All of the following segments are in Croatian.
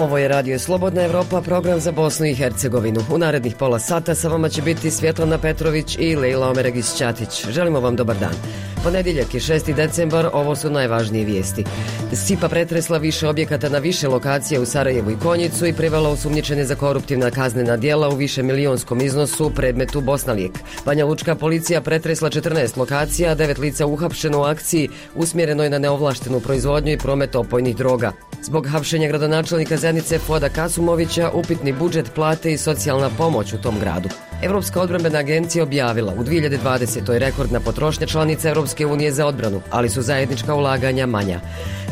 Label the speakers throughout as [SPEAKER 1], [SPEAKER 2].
[SPEAKER 1] Ovo je Radio Slobodna Evropa, program za Bosnu i Hercegovinu. U narednih pola sata sa vama će biti Svjetlana Petrović i Lejla Omeregić-Ćatić. Želimo vam dobar dan. Ponedjeljak je 6. decembar, ovo su najvažnije vijesti. Sipa pretresla više objekata na više lokacije u Sarajevu i Konjicu i privela osumnjičene za koruptivna kaznena djela u višemilijonskom iznosu predmetu Bosnalijek. Banja Lučka policija pretresla 14 lokacija, 9 lica uhapšeno u akciji usmjerenoj na neovlaštenu proizvodnju i promet opojnih droga. Zbog hapšenja gradonačelnika Zenice Fuada Kasumovića, upitni budžet, plate i socijalna pomoć u tom gradu. Evropska odbrambena agencija objavila u 2020. rekordna potrošnja članica Europske unije za odbranu, ali su zajednička ulaganja manja.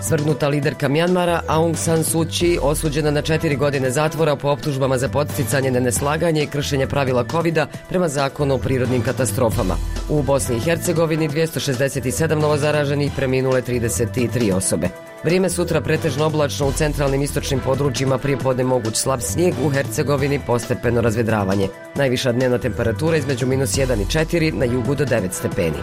[SPEAKER 1] Svrgnuta liderka Mjanmara Aung San Suu Kyi osuđena na 4 godine zatvora po optužbama za podsticanje na neslaganje i kršenje pravila COVID-a prema zakonu o prirodnim katastrofama. U Bosni i Hercegovini 267 novozaraženih, preminule 33 osobe. Vrijeme sutra pretežno oblačno, u centralnim istočnim područjima prijepodne moguć slab snijeg, u Hercegovini postepeno razvedravanje. Najviša dnevna temperatura između -1 i 4, na jugu do 9 stepeni.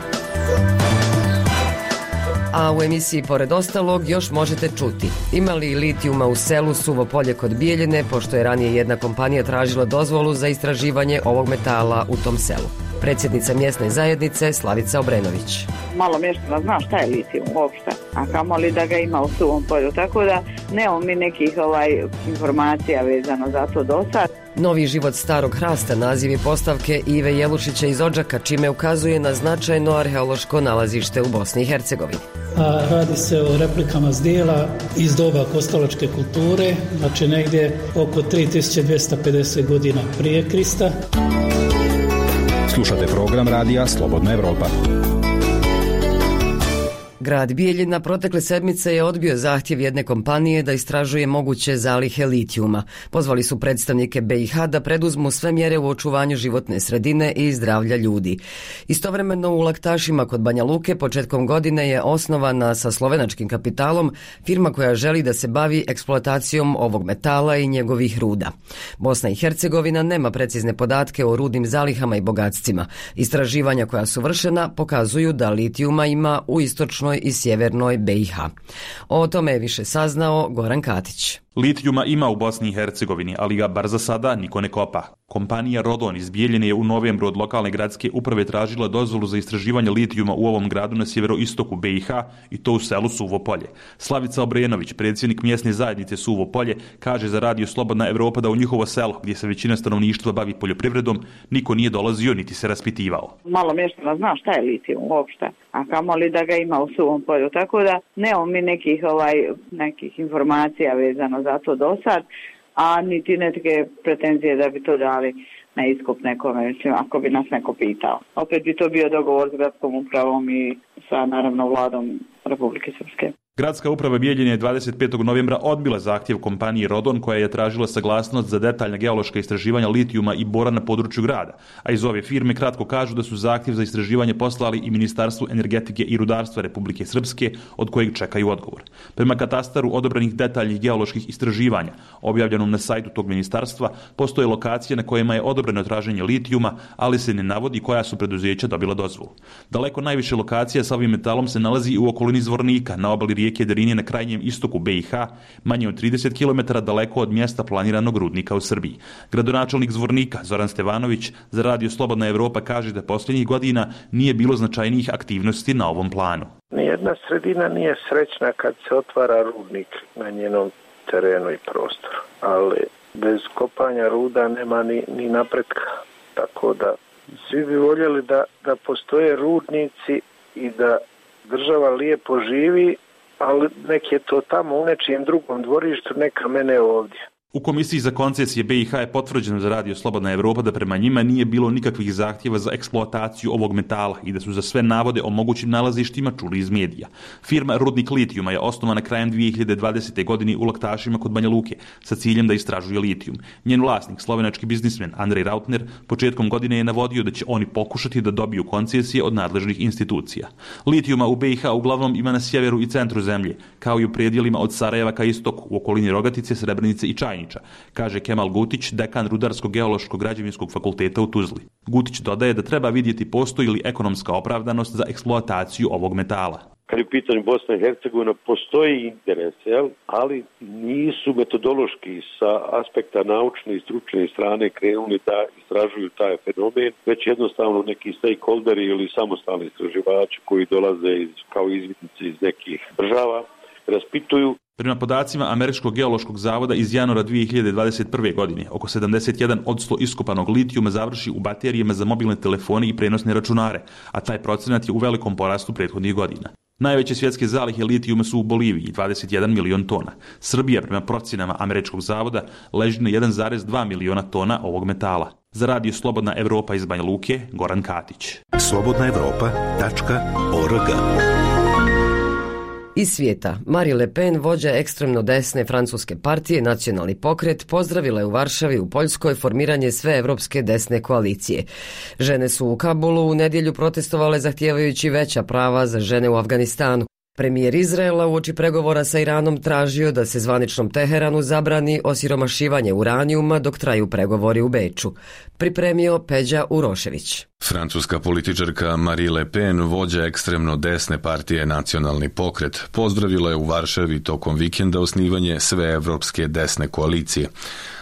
[SPEAKER 1] A u emisiji pored ostalog još možete čuti: ima li litijuma u selu Suvo Polje kod Bijeljine, pošto je ranije jedna kompanija tražila dozvolu za istraživanje ovog metala u tom selu. Predsjednica mjesne zajednice Slavica Obrenović.
[SPEAKER 2] Malo mještana zna šta je litijum uopšte, a kamoli da ga ima u Suvom Polju, tako da nemamo mi nekih informacija vezano za to do sad.
[SPEAKER 1] Novi život starog hrasta naziv je postavke Ive Jelušića iz Odžaka, čime ukazuje na značajno arheološko nalazište u Bosni i Hercegovini.
[SPEAKER 3] Radi se o replikama zdjela iz doba kostolačke kulture, znači negdje oko 3250 godina prije Krista.
[SPEAKER 4] Slušate program radija Slobodna Evropa.
[SPEAKER 1] Grad Bijeljina protekle sedmice je odbio zahtjev jedne kompanije da istražuje moguće zalihe litijuma. Pozvali su predstavnike BiH da preduzmu sve mjere u očuvanju životne sredine i zdravlja ljudi. Istovremeno u Laktašima kod Banja Luke početkom godine je osnovana sa slovenačkim kapitalom firma koja želi da se bavi eksploatacijom ovog metala i njegovih ruda. Bosna i Hercegovina nema precizne podatke o rudnim zalihama i bogatstvima. Istraživanja koja su vršena pokazuju da litijuma ima u istočnoj i sjevernoj BiH. O tome je više saznao Goran Katić.
[SPEAKER 5] Litijuma ima u Bosni i Hercegovini, ali ga bar za sada niko ne kopa. Kompanija Rodon iz Bijeljine je u novembru od lokalne gradske uprave tražila dozvolu za istraživanje litijuma u ovom gradu na sjeveroistoku BiH i to u selu Suvo Polje. Slavica Obrenović, predsjednik mjesne zajednice Suvo Polje, kaže za Radio Slobodna Evropa da u njihovo selo, gdje se većina stanovništva bavi poljoprivredom, niko nije dolazio niti se raspitivao.
[SPEAKER 2] Malo mještana zna šta je litijum uopšte, a kamoli da ga ima u Suvom Polju, tako da nemamo mi nekih informacija vezano za to do sad, a niti neke pretenzije da bi to dali na iskup nekome, mislim, ako bi nas neko pitao. Opet bi to bio dogovor s gradskom upravom i sa, naravno, vladom Republike Srpske.
[SPEAKER 5] Gradska uprava Bijeljine je 25. novembra odbila zahtjev kompanije Rodon, koja je tražila saglasnost za detaljna geološka istraživanja litijuma i bora na području grada, a iz ove firme kratko kažu da su zahtjev za istraživanje poslali i Ministarstvu energetike i rudarstva Republike Srpske, od kojeg čekaju odgovor. Prema katastaru odobranih detaljnih geoloških istraživanja, objavljenom na sajtu tog ministarstva, postoje lokacije na kojima je odobreno traženje litijuma, ali se ne navodi koja su preduzeća dobila dozvolu. Daleko najviše lokacija sa ovim metalom se nalazi u okolini Zvornika, na obali rijeke Drinje na krajnjem istoku BiH, manje od 30 km daleko od mjesta planiranog rudnika u Srbiji. Gradonačelnik Zvornika, Zoran Stevanović, za Radio Slobodna Evropa kaže da posljednjih godina nije bilo značajnijih aktivnosti na ovom planu.
[SPEAKER 6] Nijedna sredina nije srećna kad se otvara rudnik na njenom terenu i prostoru, ali bez kopanja ruda nema ni napretka. Tako da svi bi voljeli da postoje rudnici i da država lijepo živi, ali nek je to tamo u nečijem drugom dvorištu, neka mene ovdje.
[SPEAKER 5] U Komisiji za koncesije BiH je potvrđeno za Radio Slobodna Evropa da prema njima nije bilo nikakvih zahtjeva za eksploataciju ovog metala i da su za sve navode o mogućim nalazištima čuli iz medija. Firma Rudnik litijuma je osnovana krajem 2020. godine u Laktašima kod Banja Luke sa ciljem da istražuje litijum. Njen vlasnik, slovenački biznismen Andrej Rautner, početkom godine je navodio da će oni pokušati da dobiju koncesije od nadležnih institucija. Litijuma u BiH uglavnom ima na sjeveru i centru zemlje, kao i u predjelima od Sarajeva ka istoku, u okolini Rogatice, Srebrenice i Čajnice, kaže Kemal Gutić, dekan Rudarsko-geološko-građevinskog fakulteta u Tuzli. Gutić dodaje da treba vidjeti postoji li ekonomska opravdanost za eksploataciju ovog metala.
[SPEAKER 7] kad je u pitanju Bosna i Hercegovina, postoji interes, ali nisu metodološki sa aspekta naučne i stručne strane krenuli da istražuju taj fenomen, već jednostavno neki stakeholderi ili samostalni istraživači koji dolaze kao izvidnici iz nekih država raspituju.
[SPEAKER 5] Prema podacima Američkog geološkog zavoda iz januara 2021. godine, oko 71% iskopanog litijuma završi u baterijama za mobilne telefone i prenosne računare, a taj procenat je u velikom porastu prethodnih godina. Najveće svjetske zalihe litijuma su u Boliviji, 21 milion tona. Srbija, prema procenama Američkog zavoda, leži na 1,2 miliona tona ovog metala. Za radio Slobodna Evropa iz Banja Luke, Goran Katić.
[SPEAKER 8] slobodnaevropa.org.
[SPEAKER 1] Iz svijeta, Marine Le Pen, vođa ekstremno desne francuske partije Nacionalni pokret, pozdravila je u Varšavi u Poljskoj formiranje sveevropske desne koalicije. Žene su u Kabulu u nedjelju protestovale zahtijevajući veća prava za žene u Afganistanu. Premijer Izraela uoči pregovora sa Iranom tražio da se zvaničnom Teheranu zabrani osiromašivanje uranijuma dok traju pregovori u Beču. Pripremio Peđa Urošević.
[SPEAKER 9] Francuska političarka Marine Le Pen, vođa ekstremno desne partije Nacionalni pokret, pozdravila je u Varšavi tokom vikenda osnivanje sveevropske desne koalicije,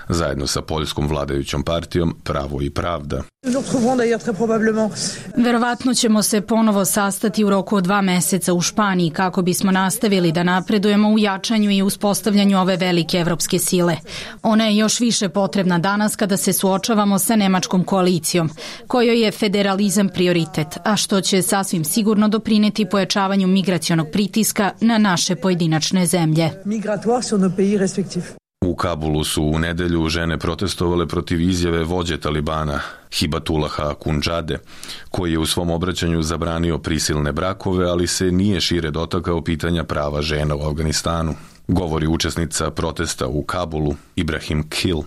[SPEAKER 9] zajedno sa poljskom vladajućom partijom Pravo i pravda.
[SPEAKER 10] Verovatno ćemo se ponovo sastati u roku od 2 meseca u Španiji kako bismo nastavili da napredujemo u jačanju i uspostavljanju ove velike evropske sile. Ona je još više potrebna danas kada se suočavamo sa nemačkom koalicijom, kojoj je federalizam prioritet, a što će sasvim sigurno doprineti pojačavanju migracionog pritiska na naše pojedinačne zemlje.
[SPEAKER 9] U Kabulu su u nedjelju žene protestovale protiv izjave vođe Talibana, Hibatullaha Akhundžade, koji je u svom obraćanju zabranio prisilne brakove, ali se nije šire dotakao pitanja prava žena u Afganistanu. Govori učesnica protesta u Kabulu, Ibrahim Kil.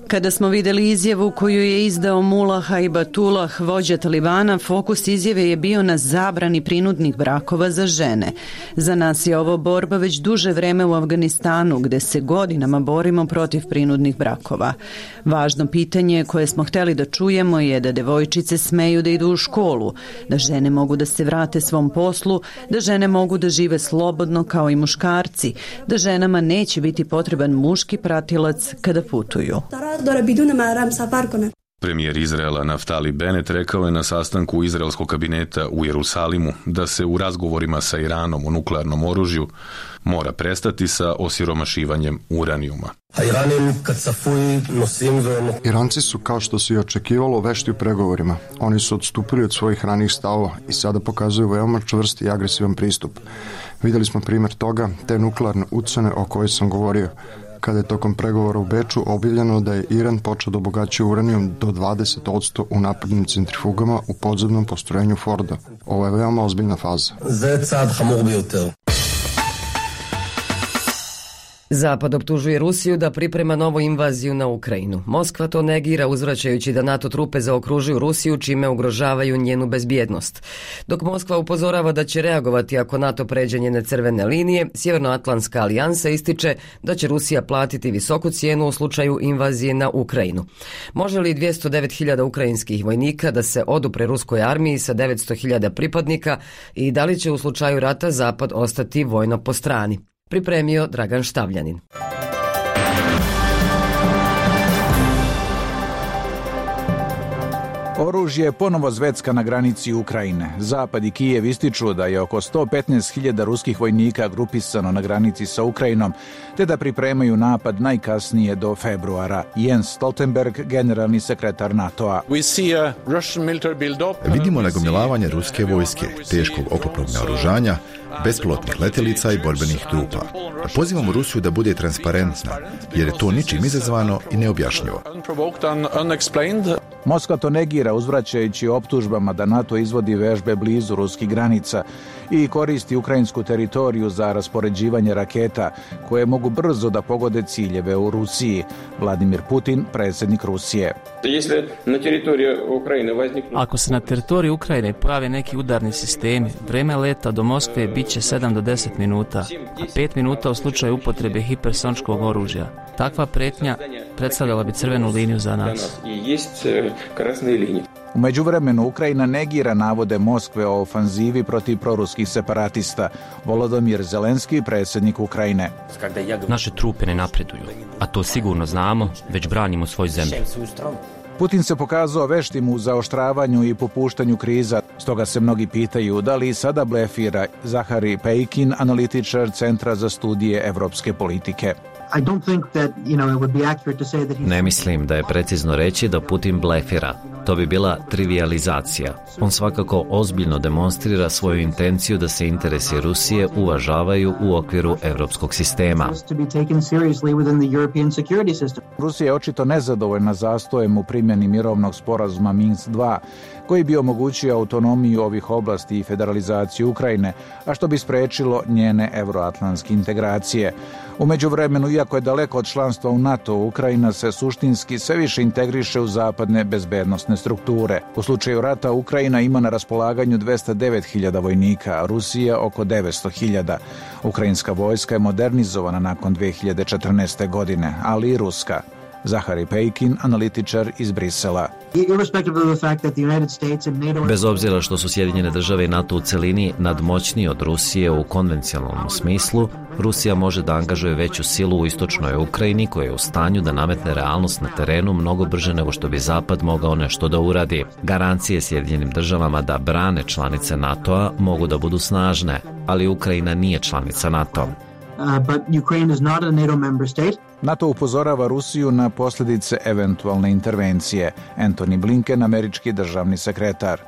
[SPEAKER 11] Kada smo vidjeli izjavu koju je izdao Mullah Haibatullah, vođa Talibana, fokus izjave je bio na zabrani prinudnih brakova za žene. Za nas je ovo borba već duže vreme u Afganistanu, gde se godinama borimo protiv prinudnih brakova. Važno pitanje koje smo htjeli da čujemo je da devojčice smeju da idu u školu, da žene mogu da se vrate svom poslu, da žene mogu da žive slobodno kao i muškarci, da ženama neće biti potreban muški pratilac kada putuju.
[SPEAKER 9] Premijer Izraela Naftali Bennett rekao je na sastanku izraelskog kabineta u Jerusalimu da se u razgovorima sa Iranom o nuklearnom oružju mora prestati sa osiromašivanjem uranijuma.
[SPEAKER 12] Iranci su, kao što se i očekivalo, vešti u pregovorima. Oni su odstupili od svojih ranijih stavova i sada pokazuju veoma čvrst i agresivan pristup. Vidjeli smo primjer toga, te nuklearne ucene o kojoj sam govorio, kada je tokom pregovora u Beču objavljeno da je Iran počeo da obogaćuje uranijum do 20% u naprednim centrifugama u podzemnom postrojenju Forda. Ovo je veoma ozbiljna faza.
[SPEAKER 1] Zapad optužuje Rusiju da priprema novu invaziju na Ukrajinu. Moskva to negira, uzvraćajući da NATO trupe zaokružuju Rusiju, čime ugrožavaju njenu bezbjednost. Dok Moskva upozorava da će reagovati ako NATO pređe njene crvene linije, Sjevernoatlantska alijansa ističe da će Rusija platiti visoku cijenu u slučaju invazije na Ukrajinu. Može li 209.000 ukrajinskih vojnika da se odupre ruskoj armiji sa 900.000 pripadnika i da li će u slučaju rata Zapad ostati vojno po strani? Pripremio Dragan Štavljanin.
[SPEAKER 13] Oružje je ponovo zvecka na granici Ukrajine. Zapad i Kijev ističu da je oko 115.000 ruskih vojnika grupisano na granici sa Ukrajinom, te da pripremaju napad najkasnije do februara. Jens Stoltenberg, generalni sekretar NATO-a.
[SPEAKER 14] Vidimo nagomilavanje ruske vojske, teškog oklopnog naoružanja, bespilotnih letjelica i borbenih trupa. Pozivamo Rusiju da bude transparentna, jer je to ničim izazvano i neobjašnjivo.
[SPEAKER 13] Moskva to negira, uzvraćajući optužbama da NATO izvodi vežbe blizu ruskih granica i koristi ukrajinsku teritoriju za raspoređivanje raketa koje mogu brzo da pogode ciljeve u Rusiji. Vladimir Putin, predsjednik Rusije.
[SPEAKER 15] Ako se na teritoriji Ukrajine pojave neki udarni sistemi, vreme leta do Moskve bit će 7 do 10 minuta, a 5 minuta u slučaju upotrebe hipersoničkog oružja. Takva pretnja predstavljala bi crvenu liniju za nas.
[SPEAKER 13] U međuvremenu Ukrajina negira navode Moskve o ofanzivi protiv proruskih separatista. Volodymyr Zelenski, predsjednik Ukrajine.
[SPEAKER 8] Naše trupe ne napreduju, a to sigurno znamo, već branimo svoju zemlju.
[SPEAKER 13] Putin se pokazao veštim u zaoštravanju i popuštanju kriza, stoga se mnogi pitaju da li sada blefira. Zahari Pejkin, analitičar Centra za studije evropske politike.
[SPEAKER 16] Ne mislim da je precizno reći da Putin blefira. To bi bila trivializacija. On svakako ozbiljno demonstrira svoju intenciju da se interesi Rusije uvažavaju u okviru evropskog sistema.
[SPEAKER 13] Rusija je očito nezadovoljna zastojem u primjeni mirovnog sporazuma Minsk 2, koji bi omogućio autonomiju ovih oblasti i federalizaciju Ukrajine, a što bi sprečilo njene euroatlantske integracije. U međuvremenu, iako je daleko od članstva u NATO, Ukrajina se suštinski sve više integriše u zapadne bezbednosne strukture. U slučaju rata Ukrajina ima na raspolaganju 209.000 vojnika, a Rusija oko 900.000. Ukrajinska vojska je modernizovana nakon 2014. godine, ali i ruska. Zahari Pejkin, analitičar iz Brisela.
[SPEAKER 16] Bez obzira što su Sjedinjene države i NATO u celini nadmoćniji od Rusije u konvencionalnom smislu, Rusija može da angažuje veću silu u istočnoj Ukrajini koja je u stanju da nametne realnost na terenu mnogo brže nego što bi Zapad mogao nešto da uradi. Garancije Sjedinjenim državama da brane članice NATO-a mogu da budu snažne, ali Ukrajina nije članica NATO.
[SPEAKER 13] But Ukraine is not a NATO member state. NATO upozorava Rusiju na posljedice eventualne intervencije. Antony Blinken, američki državni sekretar.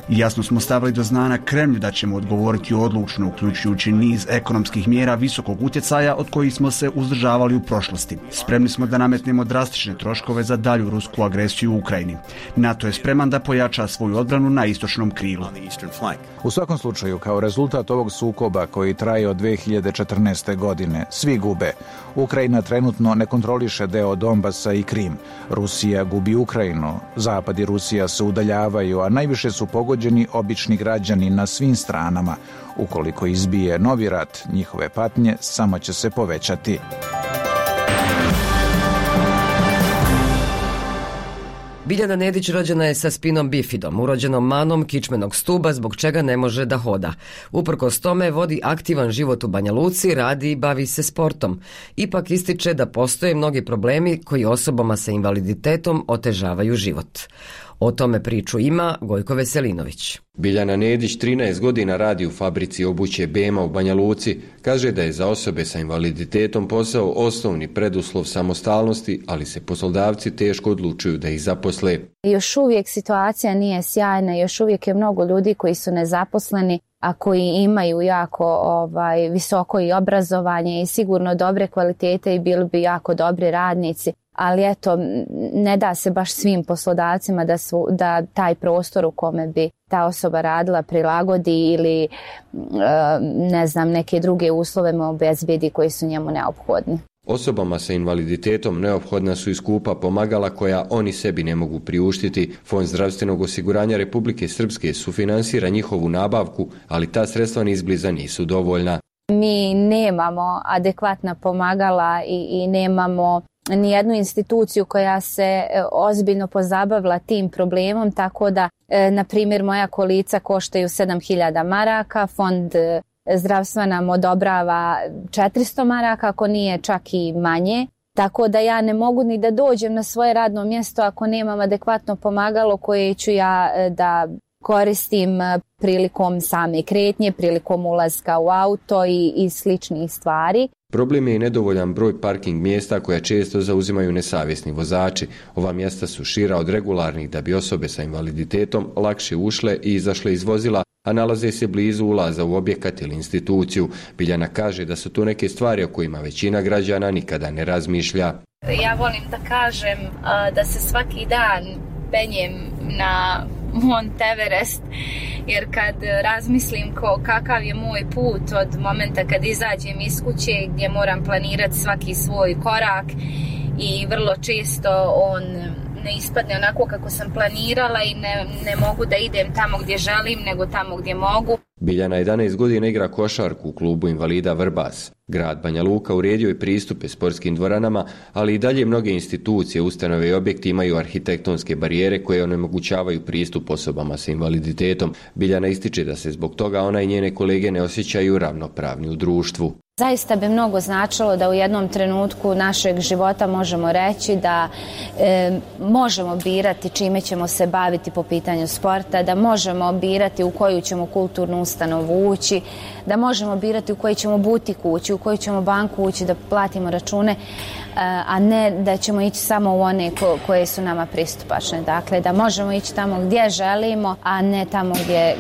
[SPEAKER 17] Jasno smo stavili do znanja Kremlju da ćemo odgovoriti odlučno, uključujući niz ekonomskih mjera visokog utjecaja od kojih smo se uzdržavali u prošlosti. Spremni smo da nametnemo drastične troškove za dalju rusku agresiju u Ukrajini. NATO je spreman da pojača svoju odbranu na istočnom krilu.
[SPEAKER 13] U svakom slučaju, kao rezultat ovog sukoba koji traje od 2014. godine, svi gube. Ukrajina trenutno ne kontroliše deo Donbasa i Krim. Rusija gubi Ukrajinu. Zapad i Rusija se udaljavaju, a najviše su pogođeni obični građani na svim stranama. Ukoliko izbije novi rat, njihove patnje samo će se povećati.
[SPEAKER 1] Biljana Nedić rođena je sa spinom bifidom, urođenom manom kičmenog stuba, zbog čega ne može da hoda. Uprkos tome vodi aktivan život u Banja Luci, radi i bavi se sportom. Ipak ističe da postoje mnogi problemi koji osobama sa invaliditetom otežavaju život. O tome priču ima Gojko Veselinović.
[SPEAKER 18] Biljana Nedić 13 godina radi u fabrici obuće Bema u Banja Luci. Kaže da je za osobe sa invaliditetom posao osnovni preduslov samostalnosti, ali se poslodavci teško odlučuju da ih zaposle.
[SPEAKER 19] Još uvijek situacija nije sjajna, još uvijek je mnogo ljudi koji su nezaposleni, a koji imaju jako visoko i obrazovanje i sigurno dobre kvalitete i bili bi jako dobri radnici. Ali eto, ne da se baš svim poslodavcima da taj prostor u kome bi ta osoba radila prilagodi ili neke druge uslove mu obezbedi koji su njemu neophodni.
[SPEAKER 18] Osobama sa invaliditetom neophodna su i skupa pomagala koja oni sebi ne mogu priuštiti. Fond zdravstvenog osiguranja Republike Srpske sufinansira njihovu nabavku, ali ta sredstva ni izbliza nisu dovoljna.
[SPEAKER 19] Mi nemamo adekvatna pomagala i nemamo nijednu instituciju koja se ozbiljno pozabavila tim problemom, tako da, na primjer, moja kolica koštaju 7.000 maraka, fond zdravstva nam odobrava 400 maraka, ako nije čak i manje. Tako da ja ne mogu ni da dođem na svoje radno mjesto ako nemam adekvatno pomagalo koje ću ja da koristim prilikom same kretnje, prilikom ulaska u auto i sličnih stvari.
[SPEAKER 18] Problem je i nedovoljan broj parking mjesta koja često zauzimaju nesavjesni vozači. Ova mjesta su šira od regularnih da bi osobe sa invaliditetom lakše ušle i izašle iz vozila, a nalaze se blizu ulaza u objekat ili instituciju. Biljana kaže da su to neke stvari o kojima većina građana nikada ne razmišlja.
[SPEAKER 20] Ja volim da kažem da se svaki dan penjem na Mont Everest, jer kad razmislim kakav je moj put od momenta kad izađem iz kuće gdje moram planirati svaki svoj korak i vrlo često on ne ispadne onako kako sam planirala i ne mogu da idem tamo gdje želim nego tamo gdje mogu.
[SPEAKER 18] Biljana 11 godina igra košarku u klubu invalida Vrbas. Grad Banja Luka uredio je pristupe sportskim dvoranama, ali i dalje mnoge institucije, ustanove i objekti imaju arhitektonske barijere koje onemogućavaju pristup osobama sa invaliditetom. Biljana ističe da se zbog toga ona i njene kolege ne osjećaju ravnopravni u društvu.
[SPEAKER 19] Zaista bi mnogo značilo da u jednom trenutku našeg života možemo reći da možemo birati čime ćemo se baviti po pitanju sporta, da možemo birati u koju ćemo kulturnu ustanovu ući, da možemo birati u koji ćemo butik ući, u koju ćemo banku ući da platimo račune, a ne da ćemo ići samo u one koje su nama pristupačne. Dakle, da možemo ići tamo gdje želimo, a ne tamo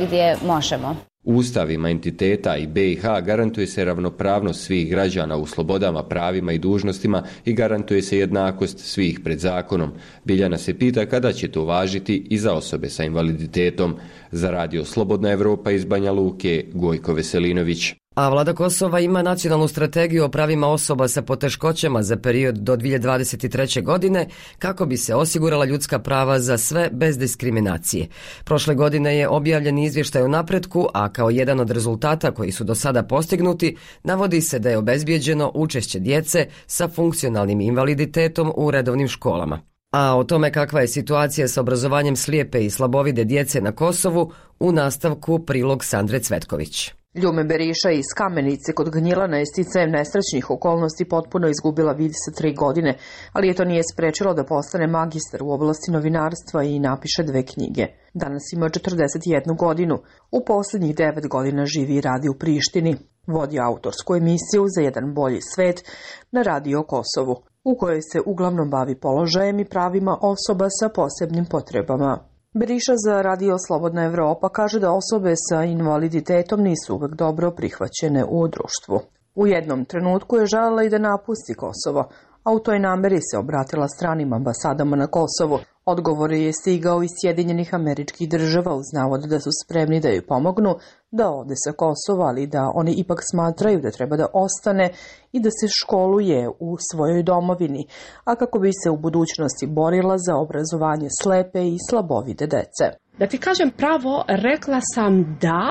[SPEAKER 19] gdje možemo.
[SPEAKER 18] Ustavima entiteta i BiH garantuje se ravnopravnost svih građana u slobodama, pravima i dužnostima i garantuje se jednakost svih pred zakonom. Biljana se pita kada će to važiti i za osobe sa invaliditetom. Za Radio Slobodna Evropa iz Banja Luke, Gojko Veselinović.
[SPEAKER 1] A vlada Kosova ima nacionalnu strategiju o pravima osoba sa poteškoćama za period do 2023. godine kako bi se osigurala ljudska prava za sve bez diskriminacije. Prošle godine je objavljen izvještaj o napretku, a kao jedan od rezultata koji su do sada postignuti, navodi se da je obezbijeđeno učešće djece sa funkcionalnim invaliditetom u redovnim školama. A o tome kakva je situacija s obrazovanjem slijepe i slabovide djece na Kosovu, u nastavku prilog Sandre Cvetković.
[SPEAKER 21] Ljume Beriša iz Kamenice kod Gnjilana je sticajem nesrećnih okolnosti potpuno izgubila vid sa 3 godine, ali je to nije sprečilo da postane magistar u oblasti novinarstva i napiše 2 knjige. Danas ima 41 godinu. U posljednjih 9 godina živi i radi u Prištini. Vodi autorsku emisiju Za jedan bolji svet na Radio Kosovu, u kojoj se uglavnom bavi položajem i pravima osoba sa posebnim potrebama. Beriša za Radio Slobodna Evropa kaže da osobe sa invaliditetom nisu uvek dobro prihvaćene u društvu. U jednom trenutku je željela i da napusti Kosovo, a u toj nameri se obratila stranim ambasadama na Kosovu. Odgovor je stigao iz Sjedinjenih Američkih Država uz navod da su spremni da joj pomognu da ode sa Kosova, ali da oni ipak smatraju da treba da ostane i da se školuje u svojoj domovini, a kako bi se u budućnosti borila za obrazovanje slepe i slabovide dece.
[SPEAKER 22] Da ti kažem pravo, rekla sam da,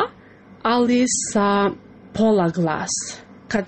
[SPEAKER 22] ali sa pola glas. Kad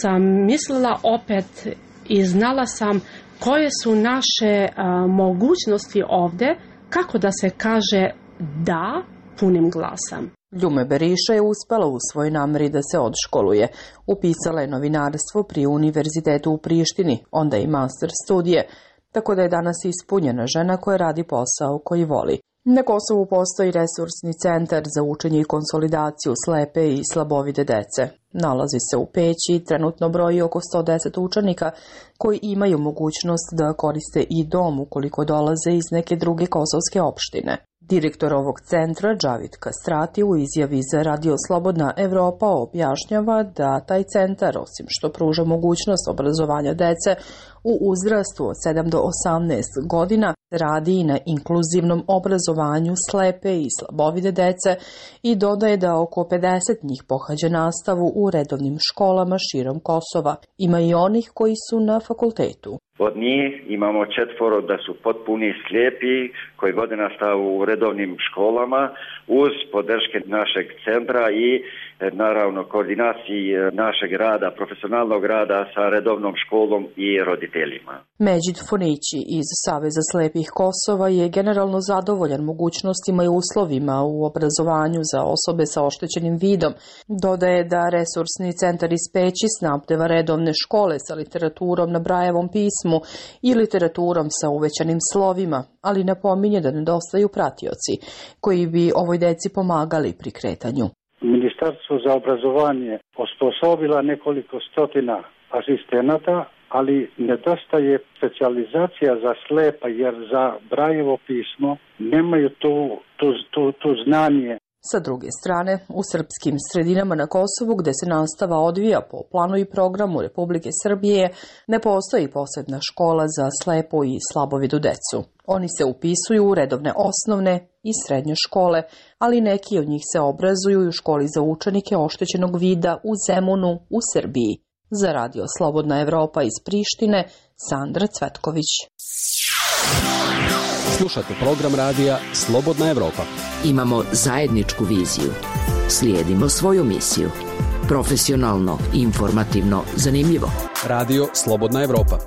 [SPEAKER 22] sam mislila opet i znala sam koje su naše mogućnosti ovdje, kako da se kaže da punim glasom.
[SPEAKER 21] Ljume Beriša je uspela u svojoj nameri da se odškoluje. Upisala je novinarstvo pri Univerzitetu u Prištini, onda i master studije, tako da je danas ispunjena žena koja radi posao koji voli. Na Kosovu postoji resursni centar za učenje i konsolidaciju slepe i slabovide dece. Nalazi se u Peći i trenutno broji oko 110 učenika koji imaju mogućnost da koriste i dom ukoliko dolaze iz neke druge kosovske opštine. Direktor ovog centra, Džavid Kastrati, u izjavi za Radio Slobodna Evropa objašnjava da taj centar, osim što pruža mogućnost obrazovanja dece u uzrastu od 7 do 18 godina, radi i na inkluzivnom obrazovanju slepe i slabovide dece i dodaje da oko 50 njih pohađa nastavu u redovnim školama širom Kosova. Ima i onih koji su na fakultetu.
[SPEAKER 23] Od njih imamo 4 da su potpuni slijepi koji vode nastavu u redovnim školama uz podrške našeg centra i naravno koordinaciji našeg rada, profesionalnog rada sa redovnom školom i roditeljima.
[SPEAKER 21] Međid Fonići iz Saveza slepih Kosova je generalno zadovoljan mogućnostima i uslovima u obrazovanju za osobe sa oštećenim vidom. Dodaje da resursni centar iz Peći snabdeva redovne škole sa literaturom na Brajevom pismu i literaturom sa uvećanim slovima, ali napominje da nedostaju pratioci koji bi ovoj deci pomagali pri kretanju.
[SPEAKER 24] Ministarstvo za obrazovanje osposobila nekoliko stotina asistenata, ali nedostaje specijalizacija za slepa jer za Brajevo pismo nemaju tu znanje.
[SPEAKER 21] Sa druge strane, u srpskim sredinama na Kosovu, gde se nastava odvija po planu i programu Republike Srbije, ne postoji posebna škola za slepu i slabovidu decu. Oni se upisuju u redovne osnovne i srednje škole, ali neki od njih se obrazuju u školi za učenike oštećenog vida u Zemunu u Srbiji. Za Radio Slobodna Evropa iz Prištine, Sandra Cvetković.
[SPEAKER 25] Slušate program radija Slobodna Evropa.
[SPEAKER 26] Imamo zajedničku viziju. Slijedimo svoju misiju.
[SPEAKER 2] Profesionalno, informativno, zanimljivo.
[SPEAKER 25] Radio Slobodna Evropa.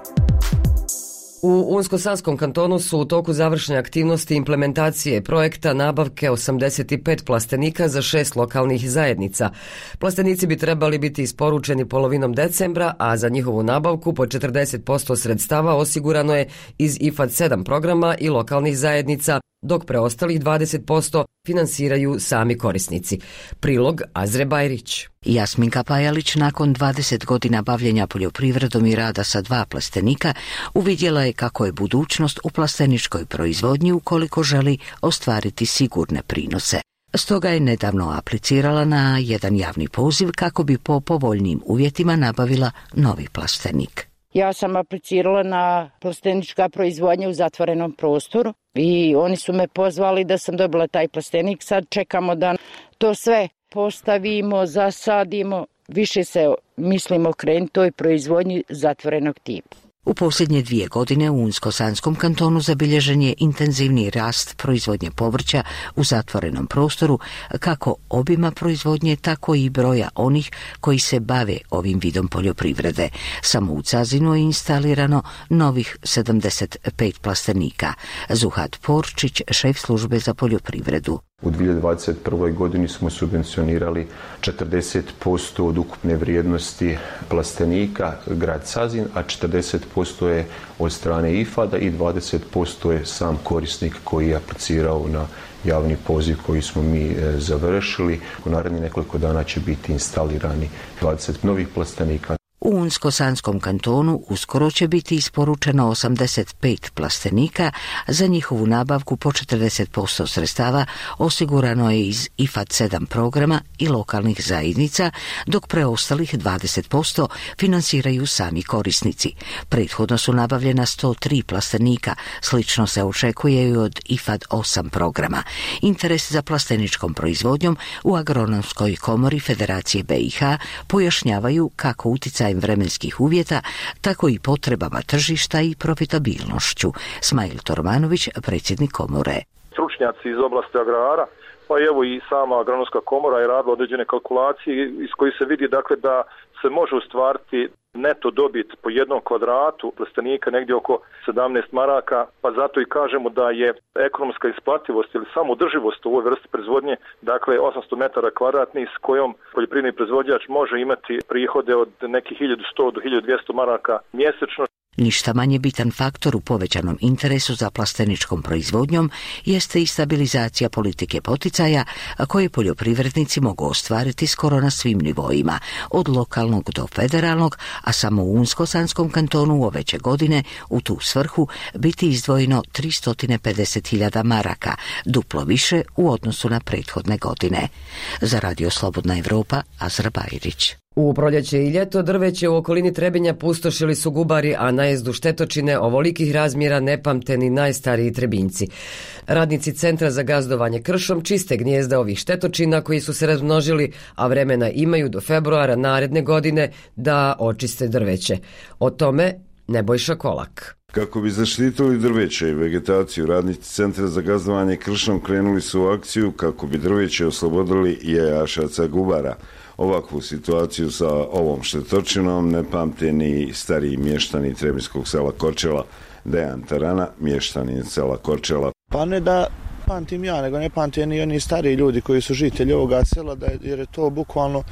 [SPEAKER 1] U Unsko-Sanskom kantonu su u toku završne aktivnosti implementacije projekta nabavke 85 plastenika za 6 lokalnih zajednica. Plastenici bi trebali biti isporučeni polovinom decembra, a za njihovu nabavku po 40% sredstava osigurano je iz IFAD 7 programa i lokalnih zajednica, dok preostalih 20% finansiraju sami korisnici. Prilog Azre Bajrić.
[SPEAKER 2] Jasminka Pajalić nakon 20 godina bavljenja poljoprivredom i rada sa 2 plastenika uvidjela je kako je budućnost u plasteničkoj proizvodnji ukoliko želi ostvariti sigurne prinose. Stoga je nedavno aplicirala na jedan javni poziv kako bi po povoljnim uvjetima nabavila novi plastenik.
[SPEAKER 3] Ja sam aplicirala na plastenička proizvodnja u zatvorenom prostoru i oni su me pozvali da sam dobila taj plastenik. Sad čekamo da to sve postavimo, zasadimo, više se mislimo okrenuti toj proizvodnji zatvorenog tipa.
[SPEAKER 2] U posljednje 2 godine u Unsko-Sanskom kantonu zabilježen je intenzivni rast proizvodnje povrća u zatvorenom prostoru, kako obima proizvodnje, tako i broja onih koji se bave ovim vidom poljoprivrede. Samo u Cazinu je instalirano novih 75 plastenika. Zuhat Porčić, šef službe za poljoprivredu.
[SPEAKER 4] U 2021. godini smo subvencionirali 40% od ukupne vrijednosti plastenika grad Cazin, a 40% je od strane IFAD-a i 20% je sam korisnik koji je aplicirao na javni poziv koji smo mi završili. U narednih nekoliko dana će biti instalirani 20 novih plastenika.
[SPEAKER 2] U Unsko-Sanskom kantonu uskoro će biti isporučeno 85 plastenika, za njihovu nabavku po 40% sredstava osigurano je iz IFAD 7 programa i lokalnih zajednica, dok preostalih 20% finansiraju sami korisnici. Prethodno su nabavljena 103 plastenika, slično se očekuje i od IFAD 8 programa. Interes za plasteničkom proizvodnjom u Agronomskoj komori Federacije BiH pojašnjavaju kako utjecaj vremenskih uvjeta, tako i potrebama tržišta i profitabilnošću. Smajl Tormanović, predsjednik komore.
[SPEAKER 6] Stručnjaci iz oblasti agrara, pa evo i sama agronomska komora je radila određene kalkulacije iz kojih se vidi dakle da se može ostvariti neto dobit po jednom kvadratu plastenika negdje oko 17 maraka, pa zato i kažemo da je ekonomska isplativost ili samodrživost u ovoj vrsti proizvodnje, dakle 800 metara kvadratnih s kojom poljoprivredni proizvođač može imati prihode od nekih 1100 do 1200 maraka mjesečno.
[SPEAKER 2] Ništa manje bitan faktor u povećanom interesu za plasteničkom proizvodnjom jeste i stabilizacija politike poticaja koje poljoprivrednici mogu ostvariti skoro na svim nivoima, od lokalnog do federalnog, a samo u Unsko-Sanskom kantonu ove će godine u tu svrhu biti izdvojeno 350.000 maraka, duplo više u odnosu na prethodne godine. Za Radio Slobodna Evropa, Azra Bajrić.
[SPEAKER 1] U proljeće i ljeto drveće u okolini Trebinja pustošili su gubari, a najezdu štetočine ovolikih razmjera ne pamte ni najstariji Trebinjci. Radnici Centra za gazdovanje kršom čiste gnijezda ovih štetočina koji su se razmnožili, a vremena imaju do februara naredne godine da očiste drveće. O tome Nebojša Kolak.
[SPEAKER 7] Kako bi zaštitili drveće i vegetaciju, radnici Centra za gazdovanje kršom krenuli su u akciju kako bi drveće oslobodili jajašaca gubara. Ovakvu situaciju sa ovom štetočinom ne pamte ni stariji mještani Trebinjskog sela Korčela. Dejan Tarana, mještanin sela Korčela.
[SPEAKER 26] Pa ne da pamtim ja, nego ne pamte ni oni stariji ljudi koji su žitelji ovoga sela, jer je to bukvalno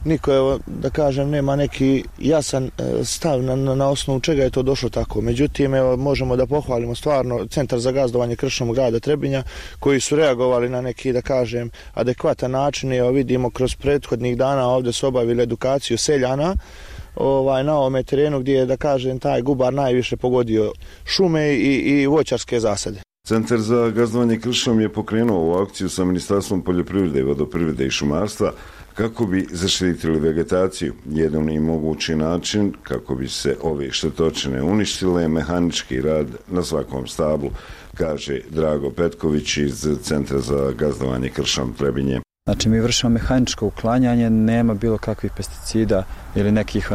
[SPEAKER 26] niko, evo, da kažem, nema neki jasan stav na osnovu čega je to došlo tako. Međutim, evo, možemo da pohvalimo stvarno Centar za gazdovanje kršom grada Trebinja koji su reagovali na neki, da kažem, adekvatan način. Evo, vidimo kroz prethodnih dana ovdje su obavili edukaciju seljana na ovome terenu gdje je, da kažem, taj gubar najviše pogodio šume i voćarske zasade.
[SPEAKER 7] Centar za gazdovanje kršom je pokrenuo ovu akciju sa Ministarstvom poljoprivrede, vodoprivrede i šumarstva kako bi zaštitili vegetaciju. Jedan i mogući način kako bi se ove štetočine uništile je mehanički rad na svakom stablu, kaže Drago Petković iz Centra za gazdovanje kršom Trebinje.
[SPEAKER 27] Znači, mi vršimo mehaničko uklanjanje, nema bilo kakvih pesticida ili nekih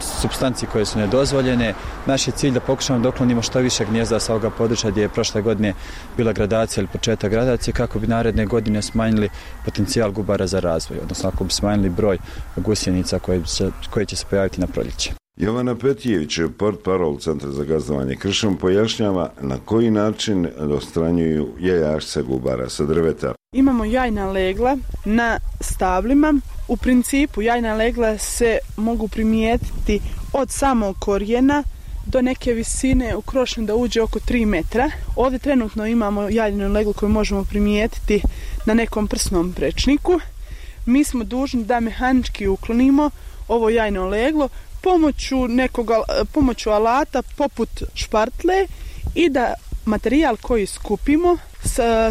[SPEAKER 5] supstancije koje su nedozvoljene. Naš je cilj da pokušamo da uklonimo što više gnijezda sa ovoga područja gdje je prošle godine bila gradacija ili početak gradacije, kako bi naredne godine smanjili potencijal gubara za razvoj, odnosno ako bi smanjili broj gusjenica koje će se pojaviti na proljeće.
[SPEAKER 7] Jovana Petijević, portparol Centra za gazdovanje kršom, pojašnjava na koji način odstranjuju jajašce gubara sa drveta.
[SPEAKER 9] Imamo jajna legla na stablima. U principu jajna legla se mogu primijetiti od samog korijena do neke visine u krošnju da uđe oko 3 metra. Ovdje trenutno imamo jajnu leglu koju možemo primijetiti na nekom prsnom prečniku. Mi smo dužni da mehanički uklonimo ovo jajno leglo pomoću alata poput špartle i da materijal koji skupimo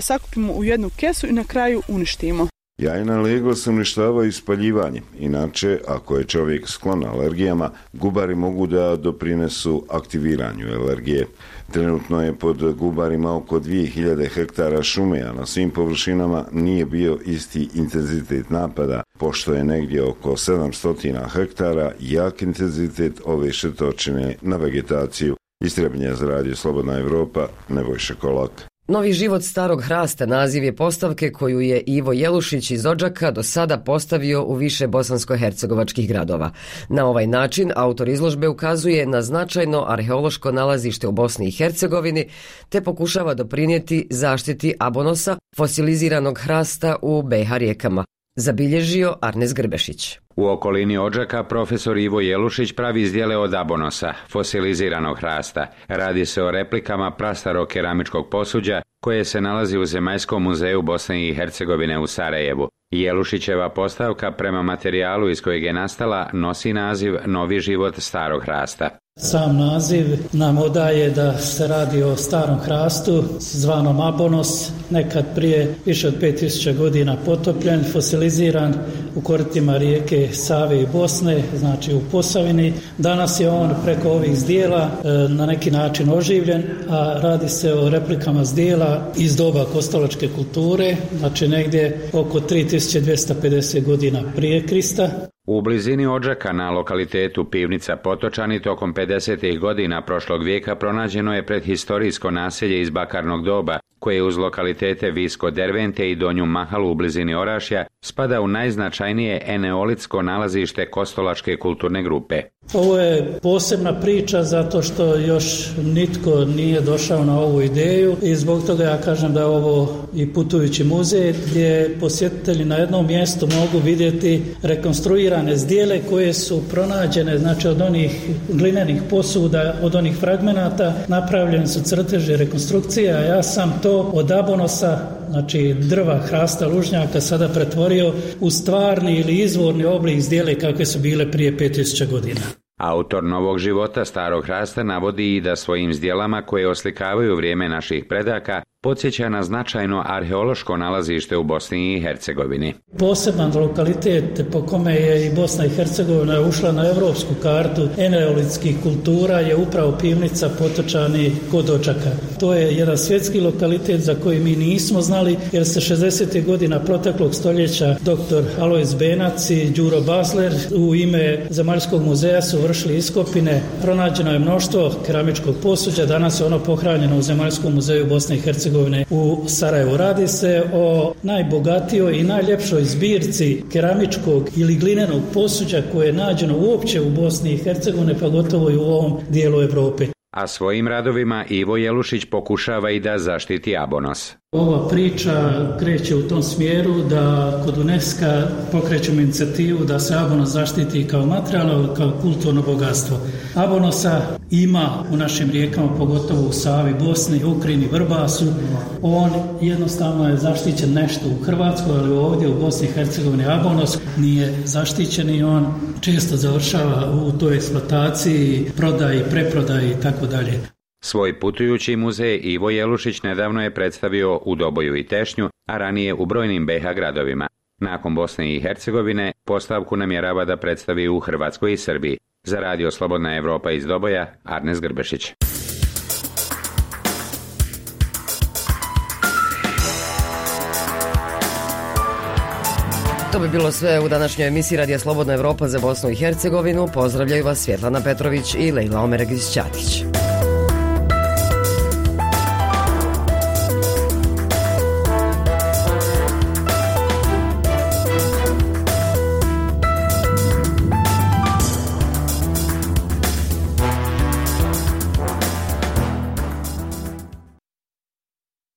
[SPEAKER 9] sakupimo u jednu kesu i na kraju uništimo.
[SPEAKER 7] Jajna legla se uništavaju ispaljivanjem. Inače, ako je čovjek sklon alergijama, gubari mogu da doprinesu aktiviranju alergije. Trenutno je pod gubarima oko 2000 hektara šume, a na svim površinama nije bio isti intenzitet napada, pošto je negdje oko 700 hektara jak intenzitet ove štetočine na vegetaciju. Istrebnja za radio Slobodna Evropa, Nebojša Kolak.
[SPEAKER 1] Novi život starog hrasta naziv je postavke koju je Ivo Jelušić iz Odžaka do sada postavio u više bosansko-hercegovačkih gradova. Na ovaj način autor izložbe ukazuje na značajno arheološko nalazište u Bosni i Hercegovini te pokušava doprinijeti zaštiti abonosa, fosiliziranog hrasta u BiH rijekama. Zabilježio Arnes Grbešić.
[SPEAKER 10] U okolini Odžaka profesor Ivo Jelušić pravi izdjele od abonosa, fosiliziranog hrasta. Radi se o replikama prastarog keramičkog posuđa koje se nalazi u Zemaljskom muzeju Bosne i Hercegovine u Sarajevu. Jelušićeva postavka prema materijalu iz kojeg je nastala nosi naziv Novi život starog hrasta.
[SPEAKER 11] Sam naziv nam odaje da se radi o starom hrastu zvanom abonos, nekad prije više od 5000 godina potopljen, fosiliziran u koritima rijeke Save i Bosne, znači u Posavini. Danas je on preko ovih zdjela na neki način oživljen, a radi se o replikama zdjela iz doba kostolačke kulture, znači negdje oko 3250 godina prije Krista.
[SPEAKER 10] U blizini Odžaka na lokalitetu Pivnica Potočani tokom 50. godina prošlog vijeka pronađeno je predhistorijsko naselje iz bakarnog doba, koje uz lokalitete Visko Dervente i Donju Mahalu u blizini Orašja spada u najznačajnije eneolitsko nalazište kostolačke kulturne grupe.
[SPEAKER 11] Ovo je posebna priča zato što još nitko nije došao na ovu ideju i zbog toga ja kažem da je ovo i putujući muzej gdje posjetitelji na jednom mjestu mogu vidjeti rekonstruirane zdjele koje su pronađene, znači od onih glinenih posuda, od onih fragmenata, napravljeni su crteži rekonstrukcije, a ja sam to od abonosa, znači drva, hrasta, lužnjaka sada pretvorio u stvarni ili izvorni oblik zdjele kakve su bile prije 5000 godina.
[SPEAKER 10] Autor Novog života starog hrasta navodi i da svojim zdjelama koje oslikavaju vrijeme naših predaka podsjeća na značajno arheološko nalazište u Bosni i Hercegovini.
[SPEAKER 11] Poseban lokalitet po kome je i Bosna i Hercegovina ušla na evropsku kartu eneolitskih kultura je upravo Pivnica Potočani kod Odžaka. To je jedan svjetski lokalitet za koji mi nismo znali jer se 60. godina proteklog stoljeća dr. Alojz Benac i Đuro Basler u ime Zemaljskog muzeja su vršili iskopine. Pronađeno je mnoštvo keramičkog posuđa, danas je ono pohranjeno u Zemaljskom muzeju Bosne i Hercegovine u Sarajevu. Radi se o najbogatijoj i najljepšoj zbirci keramičkog ili glinenog posuđa koje je nađeno uopće u Bosni i Hercegovini, pa gotovo i u ovom dijelu Europe.
[SPEAKER 10] A svojim radovima Ivo Jelušić pokušava i da zaštiti abonos.
[SPEAKER 11] Ova priča kreće u tom smjeru da kod UNESCO pokrećemo inicijativu da se abonos zaštiti kao materijal, kao kulturno bogatstvo. Abonosa ima u našim rijekama, pogotovo u Savi, Bosni, Ukrini, Vrbasu. On jednostavno je zaštićen nešto u Hrvatskoj, ali ovdje u Bosni i Hercegovini abonos nije zaštićen i on često završava u toj eksploataciji, prodaji, preprodaji i tako dalje.
[SPEAKER 10] Svoj putujući muzej Ivo Jelušić nedavno je predstavio u Doboju i Tešnju, a ranije u brojnim BiH gradovima. Nakon Bosne i Hercegovine postavku namjerava da predstavi u Hrvatskoj i Srbiji. Za radio Slobodna Evropa iz Doboja, Arnes Grbešić.
[SPEAKER 1] To bi bilo sve u današnjoj emisiji Radija Slobodna Evropa za Bosnu i Hercegovinu. Pozdravljaju vas Svjetlana Petrović i Lejla Omeregić-Ćatić.